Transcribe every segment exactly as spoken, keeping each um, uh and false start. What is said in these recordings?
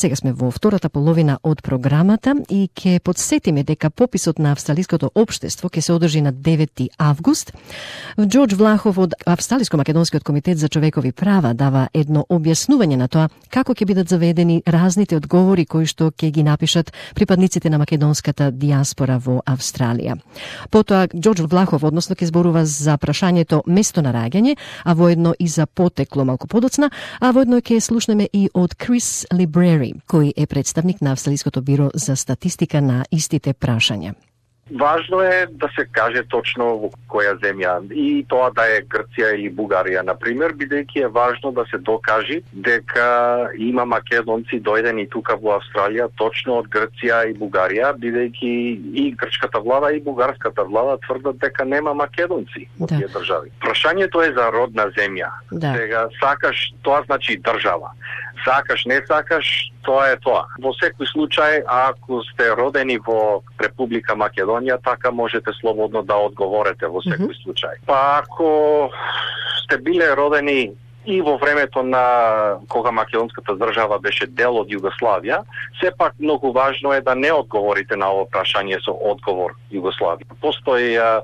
Сега сме во втората половина од програмата и ќе подсетиме дека пописот на австралиското општество ќе се одржи на девети август. Џорџ Влахов од Австралиско-македонскиот комитет за човекови права дава едно објаснување на тоа како ќе бидат заведени разните одговори кои што ќе ги напишат припадниците на македонската диаспора во Австралија. Потоа Џорџ Влахов односно ќе зборува за прашањето место на раѓање, а воедно и за потекло малку подоцна, а воедно ќе слушнеме и од Крис Либрери, кој е представник на Австралиското биро за статистика на истите прашања. Важно е да се каже точно во која земја, и тоа да е Грција или Бугарија, например, бидејќи е важно да се докаже дека има македонци дојдени тука во Австралија точно од Грција и Бугарија, бидејќи и грчката влада и бугарската влада тврдат дека нема македонци во Да. тие држави. Прашањето е за родна земја. Да. Сега сакаш, тоа значи држава. Сакаш, не сакаш, тоа е тоа. Во секој случај, ако сте родени во Република Македонија, така можете слободно да одговорите во секој Мгм. случај. Па ако сте биле родени и во времето на кога македонската држава беше дел од Југославија, сепак многу важно е да не одговорите на ово прашање со одговор Југославија. Постои а,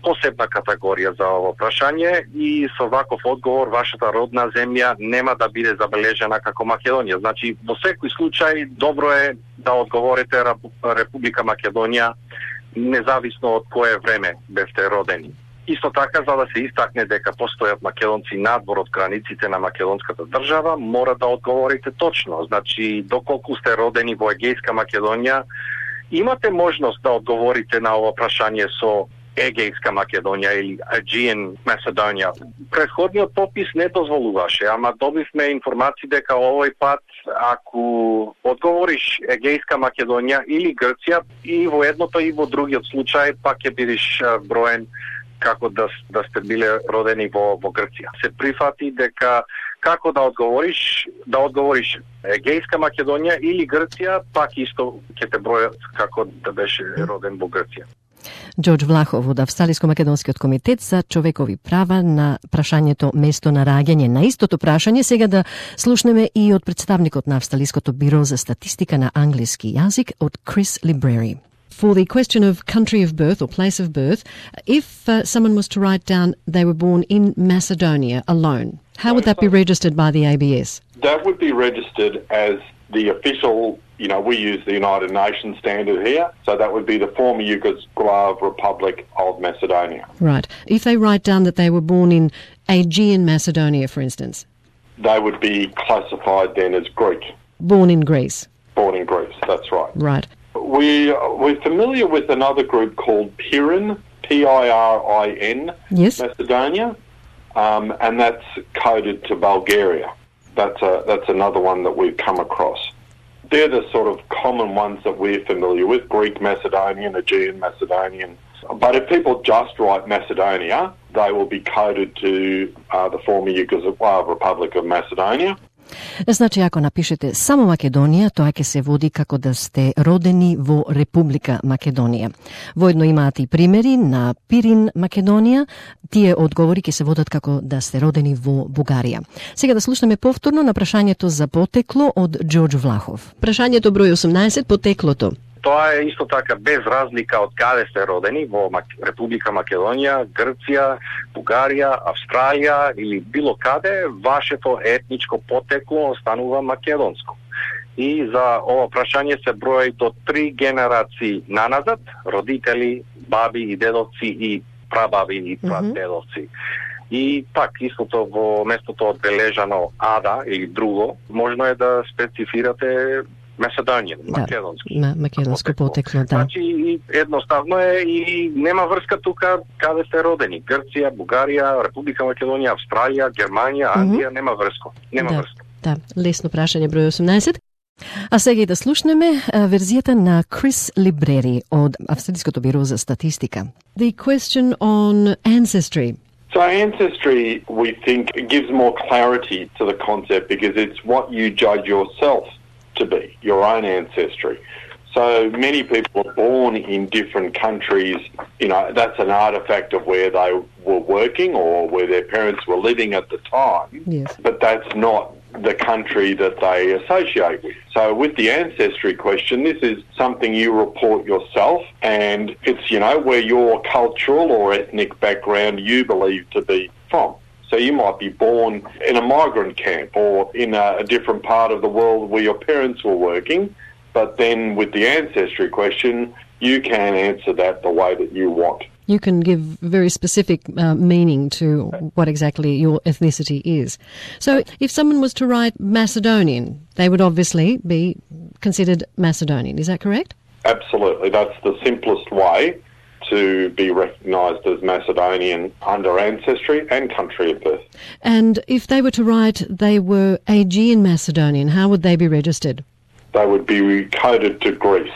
посебна категорија за ово прашање и со ваков одговор вашата родна земја нема да биде забележена како Македонија. Значи, во секој случај добро е да одговорите Република Македонија независно од кое време бевте родени. Исто така, за да се истакне дека постојат македонци надвор од границите на македонската држава, мора да одговорите точно. Значи, доколку сте родени во Егејска Македонија, имате можност да одговорите на ова прашање со Егејска Македонија или Aegean Macedonia. Претходниот попис не дозволуваше, ама добивме информации дека овој пат, ако одговориш Егејска Македонија или Грција, и во едното и во другиот случај, пак ќе бидеш броен како да, да сте биле родени во, во Грција. Се прифати дека како да одговориш, да одговориш Егејска Македонија или Грција, пак исто ќе те бројат како да беше роден во Грција. Џорџ Влахов од Австралиско-македонскиот комитет за човекови права на прашањето место на раѓање. На истото прашање сега да слушнеме и од представникот на Австралиското биро за статистика на англиски јазик од Крис Либрери. For the question of country of birth or place of birth, if uh, someone was to write down they were born in Macedonia alone, how would that be registered by the A B S? That would be registered as the official, you know, we use the United Nations standard here, so that would be the former Yugoslav Republic of Macedonia. Right. If they write down that they were born in Aegean Macedonia, for instance, They would be classified then as Greek, born in Greece. born in Greece, that's right. Right. We, we're familiar with another group called Pirin, P I R I N, Yes. Macedonia, um, and that's coded to Bulgaria. That's a, that's another one that we've come across. They're the sort of common ones that we're familiar with, Greek Macedonian, Aegean Macedonian. But if people just write Macedonia, they will be coded to uh, the former Yugoslav Republic of Macedonia. Значи, ако напишете само Македонија, тоа ќе се води како да сте родени во Република Македонија. Воедно имаат и примери на Пирин Македонија, тие одговори ќе се водат како да сте родени во Бугарија. Сега да слушнеме повторно на прашањето за потекло од Џорџ Влахов. Прашањето број осумнаесет, потеклото. Тоа е исто така без разлика од каде сте родени, во Република Македонија, Грција, Бугарија, Австралија или било каде, вашето етничко потекло останува македонско. И за ова прашање се брои до три генерации наназад, родители, баби и дедовци и прабаби и прадедовци. И пак истото во местото одбележано ада или друго, можно е да специфирате Macedonian, Да, македонски. ма- македонско потекло, да. Значи, и едноставно е и нема врска тука каде сте родени. Грција, Бугарија, Република Македонија, Австралија, Германија, Англија, нема врска. Нема Да, врска. да, лесно прашање број осумнаесет. А сега и да слушнеме а, верзијата на Крис Либрери од Австралиското биро за статистика. The question on ancestry. So ancestry, we think, gives more clarity to the concept because it's what you judge yourself to be, your own ancestry. So many people are born in different countries, you know, that's an artifact of where they were working or where their parents were living at the time. Yes. But that's not the country that they associate with. So with the ancestry question, this is something you report yourself, and it's, you know, where your cultural or ethnic background you believe to be from. So you might be born in a migrant camp or in a, a different part of the world where your parents were working, but then with the ancestry question, you can answer that the way that you want. You can give very specific uh, meaning to what exactly your ethnicity is. So if someone was to write Macedonian, they would obviously be considered Macedonian. Is that correct? Absolutely. That's the simplest way to be recognised as Macedonian under ancestry and country of birth. And if they were to write they were Aegean Macedonian, how would they be registered? They would be coded to Greece.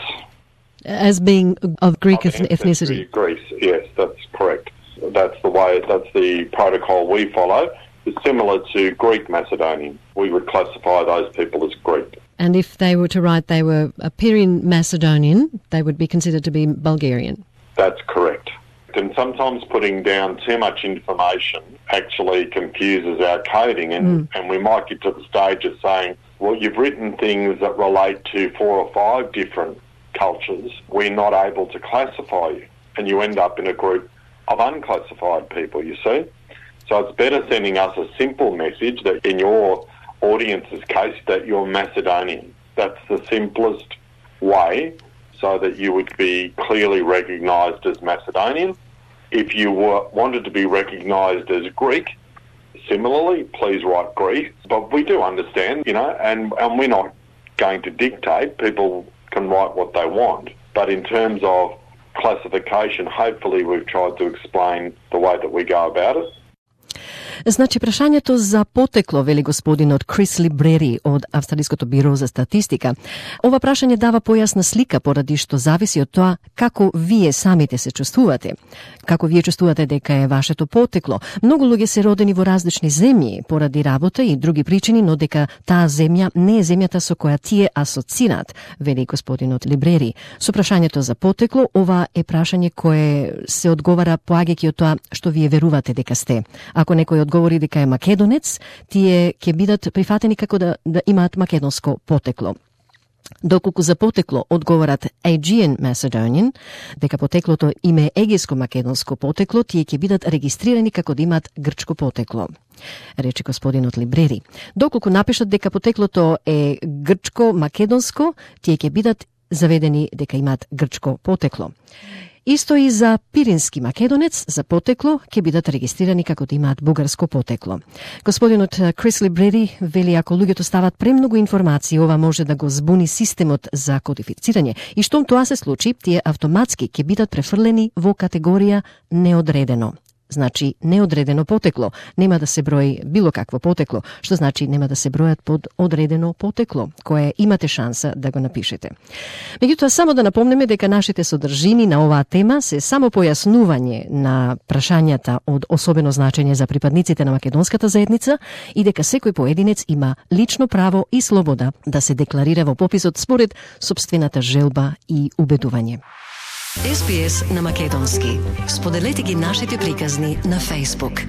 As being of Greek Of ethnicity? Greece, yes, that's correct. That's the way, that's the protocol we follow. It's similar to Greek Macedonian. We would classify those people as Greek. And if they were to write they were Aperian Macedonian, they would be considered to be Bulgarian? That's correct. And sometimes putting down too much information actually confuses our coding, and, mm. and we might get to the stage of saying, well, you've written things that relate to four or five different cultures. We're not able to classify you, and you end up in a group of unclassified people, you see. So it's better sending us a simple message that in your audience's case that you're Macedonian. That's the simplest way, so that you would be clearly recognised as Macedonian. If you were, wanted to be recognised as Greek, similarly, please write Greek. But we do understand, you know, and, and we're not going to dictate. People can write what they want. But in terms of classification, hopefully we've tried to explain the way that we go about it. Значи, прашањето за потекло, вели господинот Крис Либрери од Австралиското биро за статистика. Ова прашање дава појасна слика поради што зависи од тоа како вие самите се чувствувате. Како вие чувствувате дека е вашето потекло. Многу луѓе се родени во различни земји поради работа и други причини, но дека таа земја не е земјата со која тие асоцираат, вели господинот Либрери. Со прашањето за потекло, ова е прашање кое се одговара поаѓајќи од тоа што вие верувате дека сте. Ако некој одговори дека е македонец, тие ќе бидат прифатени како да, да имаат македонско потекло. Доколку за потекло одговорат Aegean Macedonian, дека потеклото им е егејско-македонско потекло, тие ќе бидат регистрирани како да имаат грчко потекло, рече господинот Либрери. Доколку напишат дека потеклото е грчко-македонско, тие ќе бидат заведени дека имаат грчко потекло. Исто и за пирински македонец, за потекло, ќе бидат регистрирани како да имаат бугарско потекло. Господинот Крис Либрери вели, ако луѓето стават премногу информации, ова може да го збуни системот за кодифицирање. И штом тоа се случи, тие автоматски ќе бидат префрлени во категорија неодредено. Значи, неодредено потекло. Нема да се брои било какво потекло, што значи нема да се бројат под одредено потекло, кое имате шанса да го напишете. Меѓутоа, само да напомнеме дека нашите содржини на оваа тема се само појаснување на прашањата од особено значење за припадниците на македонската заедница и дека секој поединец има лично право и слобода да се декларира во пописот според сопствената желба и убедување. Ес Би Ес на македонски. Споделете ги нашите приказни на Facebook.